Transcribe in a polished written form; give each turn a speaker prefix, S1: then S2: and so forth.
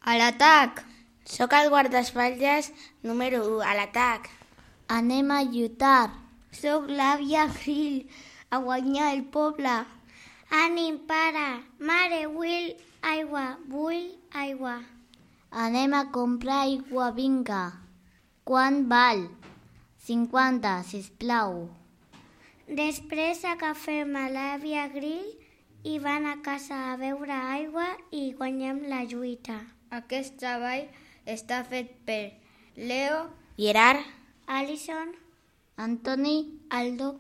S1: A l'atac!
S2: Sóc el guardaespatlles número 1, a l'atac.
S3: Anem a lluitar.
S1: Sóc l'àvia Grill, a guanyar el poble.
S4: Ànim, pare. Mare, vull aigua.
S3: Anem a comprar aigua, vinga. Quant val? 50, sisplau.
S4: Després agafem a l'àvia Grill i van a casa a beure aigua i guanyem la lluita.
S1: Aquest treball està fet per Leo,
S2: Gerard,
S4: Alison,
S3: Antoni,
S4: Aldo,